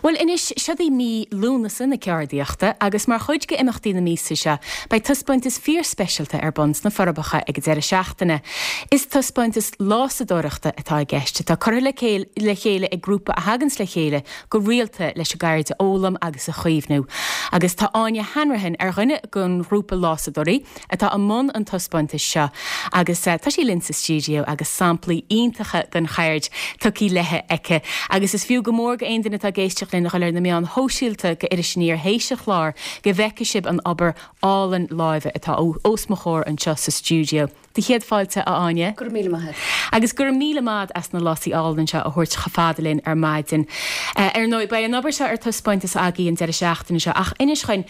Bhuel anois, seod í mí Lúnasa na ceardaíochta agus mar chuid de imeachtaí na míosa seo, beidh taispeántas fíorspeisialta ar bun sna Forbacha ag an deireadh seachtaine. Is taispeántas lásadóireachta atá i gceist, atá curtha le chéile ag grúpa a thaganns le chéile go rialta leis an gceird a fhoghlaim agus a chaomhnú. Agus tá Áine Hanrahan ar dhuine den ghrúpa lásadóirí atá i mbun an taispeántais seo agus tá sí linn sa stiúideo agus samplaí iontacha den cheird tugtha léi aici. Agus is fiú go mór go aon duine atá ag éisteacht linn a dhul ar na meáin shóisialta go Iris Aniar théis an chláir go bhfeicfidh sibh an obair álainn láimhe atá os mo chomhair anseo sa stiúideo. Do chéad fáilte, a Áine. Go raibh míle maith agat. Agus go raibh míle maith as na lásaí álainn seo a thabhairt chomh fada linn ar maidin. Ar ndóigh, beidh an obair seo ar taispeántas agaibh an deireadh seachtaine seo, ach inis dhuinn,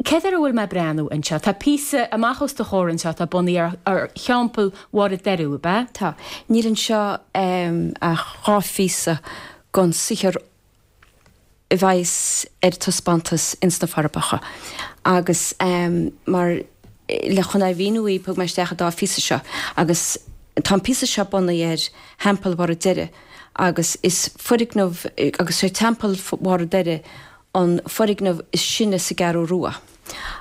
céard air a bhfuil mé ag breathnú anseo? Tá píosa amach os do chomhair anseo atá bunaithe ar Theampall Mháire Doiriú, ab ea? Tá. Níl anseo ach 2 phíosa den saothar a bheas ar taispeántas ins na Forbacha agus mar le chun é a mhíniú dhaoibh thug mé isteach an dá phíosa seo agus tá an píosa seo bunaithe ar Theampall Bharra Doire agus is foirgneamh agus sé Teampall Bharra Doire an foirgneamh is sine sa gCeathrú Rua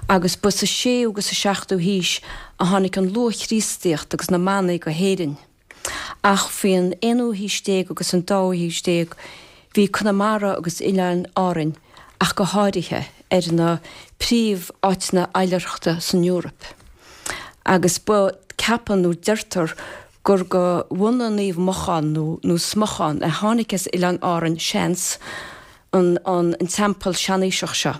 agus ba sa séú agus sa seachtú haois a tháinig an luath-Chríostaíocht agus na manaigh go hÉirinn. Ach faoin aonú haois déag agus an dóú haois déag bhí Conamara agus Oileáin Árainn ach go háirithe ar na príomh-áiteanna oilithreachta san Eoraip. Agus ba, ceapann nó deirtear gur go mhanaigh Naomh Mochán nó nó Smochán a tháinig as Oileáin Árainn, seans, an an teampall seanaoiseach seo.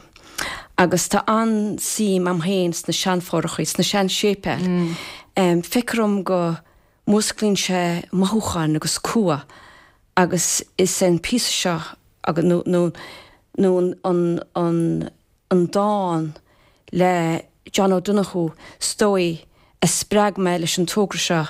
Agus tá an-suim a'm féin sna seanfhothrachaí, sna sean-séipéil. Feictear dhom go músclaíonn sé mothúcháin agus cumha agus is é an píosa seo agus nó nó nó an an an dán le John O'Donoghue is dóigh a spreag mé leis an togra seo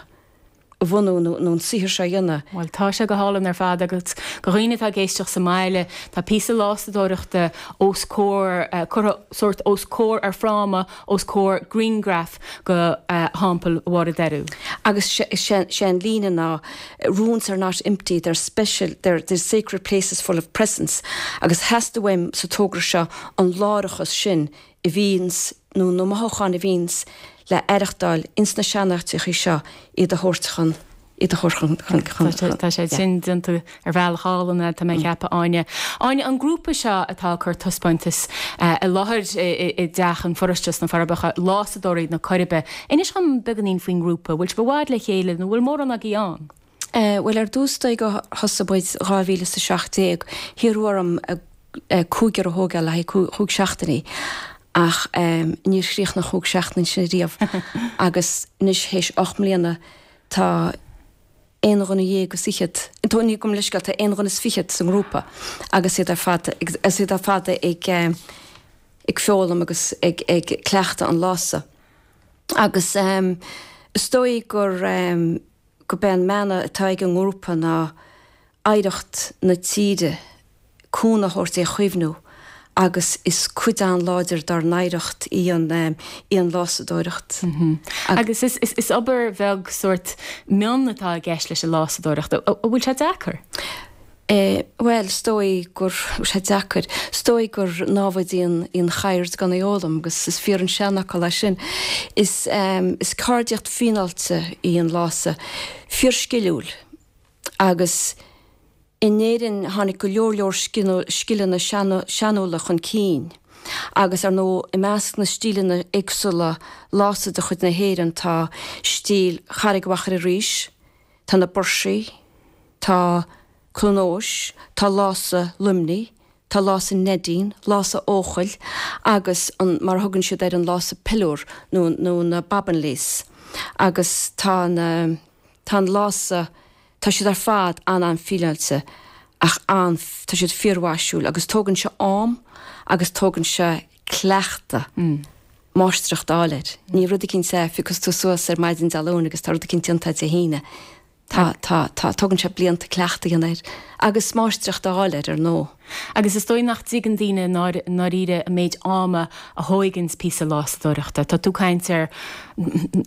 a bhunú nó an saothar seo a dhéanamh. Bhuel, tá sé go hálainn ar fad agus do dhaoine atá ag éisteacht sa mbaile, tá píosa lásadóireachta os comhair, curtha sórt os comhair ar fráma os comhair grianghraf go Theampall Mháire Doiriú. Agus sé an líne ná Ruins are not empty, they're special, they're they're sacred places full of presence agus theastaigh uaim sa togra seo an láithreachas sin a bhíonns nó na mothúcháin a bhíonns le aireachtáil ins na seanáiteachaí seo iad a thabhairt chun iad a thabhairt chun chun chun chun Tá sé sin déanta ar bhealach álainn tá mé ag ceapadh Áine. Áine, an grúpa seo atá ag cur taispeántas i láthair i dTeach an Pharóiste sna Forbacha, Lásadóirí na Coiribe. Inis dhom beagáinín faoin ngrúpa, bhfuil sibh i bhfad le chéile nó bhfuil mórán agaibh ann? Bhuel, ar dtús is dóigh gur thosaigh muid 2017, hiarradh orm cúigear a thógáil le haghaidh chúig seachtainí ach níor chríochnaigh na chúig seachtaine sin riamh agus anois théis 8 mbliana tá aon dhuine dhéag is fhichead, tá, ní, gabh mo leithscéal, tá aon dhuine is fichead sa ngrúpa agus iad ar fad, agus iad ar fad ag ag foghlaim agus ag ag cleachtadh an lása. Agus is dóigh gur gurb é an mana atá ag an ngrúpa ná oidhreacht na tíre, cúnamh a thabhairt é a chaomhnú agus is cuid an-láidir dár n-oidhreacht í an í an lásadóireacht. Agus is is obair bheag sórt mion atá i gceist leis an lásadóireacht. An bhfuil sé deacair? Bhuel, is dóigh gur, bhfuil sé deacair, is dóigh gur námhaid í an, í an cheird gan í a fhoghlaim agus is fíor an seanfhocal é sin. Is, is ceardaíocht fíneáilte í an lása, fíorsciliúil agus in Éirinn tháinig go leor leor scileanna seanúla chun cinn agus ar ndóigh i measc na stíleanna éagsúla lása de chuid na hÉireann tá stíl Charraig Mhachaire Rois, tá na Buirsí, tá Cluain Eois, tá lása Luimnigh, tá lása Neidín, lása Eochaill agus an, mar a thugann siad air, an lása piliúr nó, nó na bobbin lace. Agus tá na, tá an lása, tá siad ar fad an-an-fhíneáilte ach an, tá siad fíormhaisiúil agus tógann sé am agus tógann sé cleachtadh. Máistreacht a fháil air. Ní rud eicínt é, phiocas tú suas ar maidin Dé Luain agus tá rud eicínt déanta Dé hAoine. Tá, tá, tá, tógann sé blianta cleachtadh a dhéanamh air agus máistreacht a fháil air, ar ndóigh. Agus is dóigh nach dtuigeann daoine i ndáiríre an méid ama a thóigeanns píosa lásadóireachta. Tá tú ag caint ar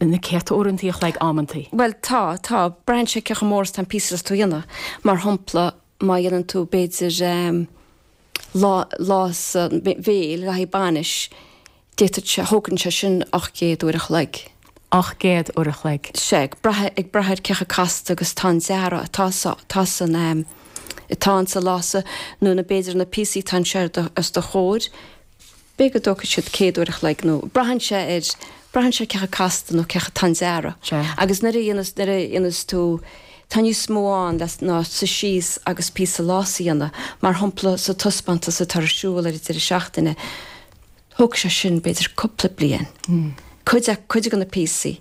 na céadta uaireantaí a chloig amantaí. Bhuel, tá, tá. Braitheann sé cé chomh mór is atá an píosa atá tú a dhéanamh. Mar shampla, má dhéanann tú, b'fhéidir, eh. Lása béil le haghaidh bainis, d'fhéadfadh sé, thógann sé sin 800 uair a chloig. 800 uair a chloig. Sea, ag brath, ag brath ar cé chomh casta agus atá an dearadh atá sa, atá san, atá insa lása nó na, b'fhéidir na píosaí atá anseo os do chomhair, B'fhéidir go dtógfaidh siad 100 uair a chloig nó braitheann sé ar, braitheann sé cé chomh casta nó cé chomh atá an dearadh. Sea. Agus nuair a dhéanas, nuair a dhéanas tú, tá níos mó ann le, ná suí síos agus píosa lása a dhéanamh. Mar shampla sa taispeántas atá ar siúl ar an deireadh seachtaine, thóg sé sin b'fhéidir cúpla bliain. Cuid, cuid de na píosaí.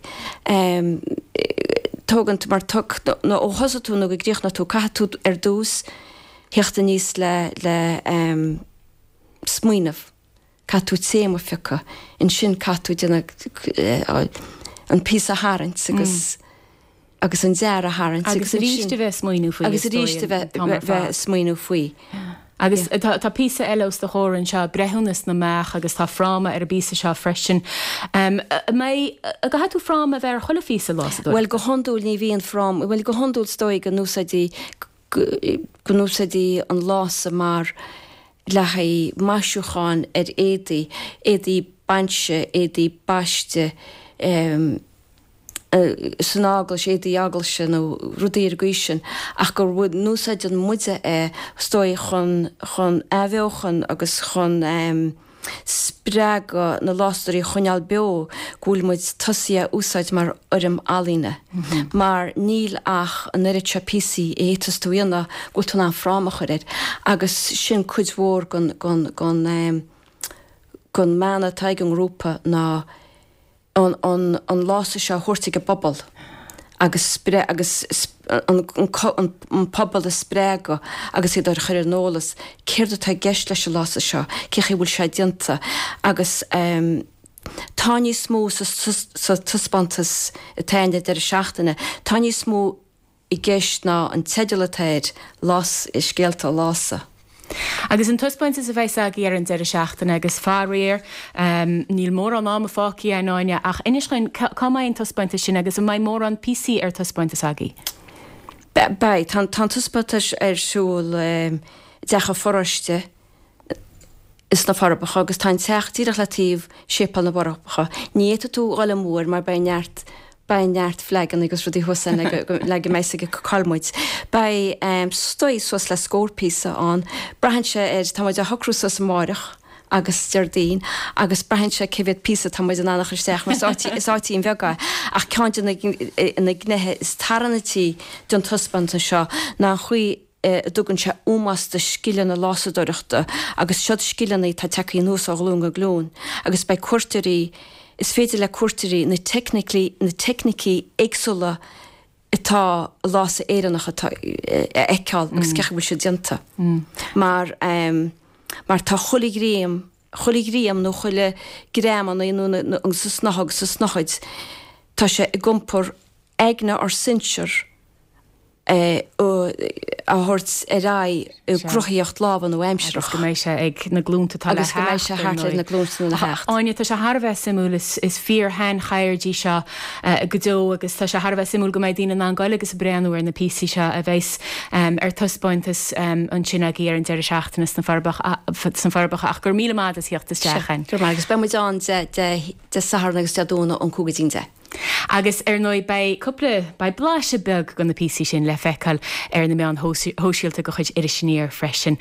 Tógann tú, mar tug, nó ó thosaigh tú nó go gcríochnóidh tú, caithfidh tú ar dtús theacht aníos le, le, smaoineamh, caithfidh tú téama a phiocadh, ansin caithfidh tú déanamh an píosa a tharraingt agus agus an dearadh a tharraingt agus arís a bheith ag smaoineamh faoi agus arís a bheith bheith ag smaoineamh faoi. Agus tá tá píosa eile os do chomhair anseo, Breithiúnas na mBeach agus tá fráma ar an bpíosa seo freisin. An mbeidh, an gcaithfidh tú fráma a bheith ar chuile phíosa lásadóireachta? Bhuel go hiondúil ní bhíonn fráma, bhuel go hiondúil is dóigh go n-úsáidí go n-úsáidtí an lása mar le haghaidh maisiúcháin ar éadaí, éadaí bainse, éadaí baiste, san eaglais, éadaí eaglaise nó rudaí ar an gcaoi sin, ach go n-úsáideann muide é, is dóigh, chun, chun athbheochan agus chun. spreagadh na lásadóirí a choinneáil beo go bhfuil muid tosaithe a úsáid mar fhoirm ealaíne. Mar níl ach an oiread seo píosaí a fhéadfas tú a dhéanamh go bhfuil tú in ann fráma a chur air. Agus sin cuid mhór den, den, den, den mana atá ag an ngrúpa ná, an an lása seo a thabhairt ag an bpobal agus agus an an pobal a spreagadh agus iad a chur ar an eolas céard atá i gceist leis an lása seo, cé chaoi a bhfuil sé déanta agus tá níos mó sa sa taispeántas atá ann an deireadh seachtaine, tá níos mó i gceist ná an teideal atá air, Lás, Scéalta Lása. Agus an taispeántas a bheas agaibh ar an deireadh seachtaine agus faraor, níl mórán ama fágtha againn Áine, ach inis dhúinn cá mbeidh an taispeántas sin agus an mbeidh mórán píosaí ar taispeántas agaibh? Beidh. Tá an taispeántas ar siúl i dTeach an Pharóiste. sna Forbacha agus tá an teach díreach le taobh Séipéal na bhForbacha. Ní fhéadfaidh tú dhul amú air mar beidh neart beidh neart flaganna agus rudaí thuas ann le go le go mbeidh fhios ag cách muid. Beidh is dóigh suas le scór píosa ann. Braitheann sé ar tá muid á shocrú suas amáireach agus Déardaoin agus braitheann sé cé mhéad píosa tá muid in ann a chur isteach mar is áit is áitín bheag é ach ceann de na na gnéithe is tarraingtí den taispeántas seo ná an chaoi a dtugann sé ómós do scileanna lásadóireachta agus siod scileanna atá tagtha anuas ó ghlúin go glúin agus beidh cuairteoirí, is féidir le cuairteoirí na teicnicí, na teicnící éagsúla atá i lása Éireannach atá, a fheiceáil agus cé chaoi a bhfuil siad déanta. Mar, mar tá chuile ghreim, chuile ghreim nó chuile greamanna nó na, sa snáithe agus sa snáthaid, tá sé ag iompar aigne ár sinsear, a thabhairt ar aghaidh i gcruthaíocht láimhe nua-aimsearach. Agus go mbeidh sé ag na glúnta atá le theacht. Agus go mbeidh sé thart ar na glúnta atá le theacht. Áine, tá sé thar a bheith suimiúil, is fíor-shaincheird í seo go deo agus tá sé thar a bheith suimiúil go mbeidh daoine in ann goil agus breathnú ar na píosaí seo a bheas ar taispeántas ansin agaibh ar an deireadh seachtaine sna Forbacha ach go raibh míle maith agat as theacht isteach. Go raibh maith agus beidh muid ann Dé Sathairn agus Dé Domhnaigh ón 5 go dtí'n 10. Agus ar ndóigh beidh cúpla, beidh blaiseadh beag de na píosaí sin le feiceáil ar na meáin shóisialta de chuid Iris Aniar freisin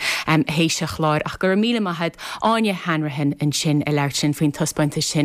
théis an chláir. Ach go raibh míle maith agat, Áine Hanrahan ansin ag labhairt linn faoin taispeántas sin.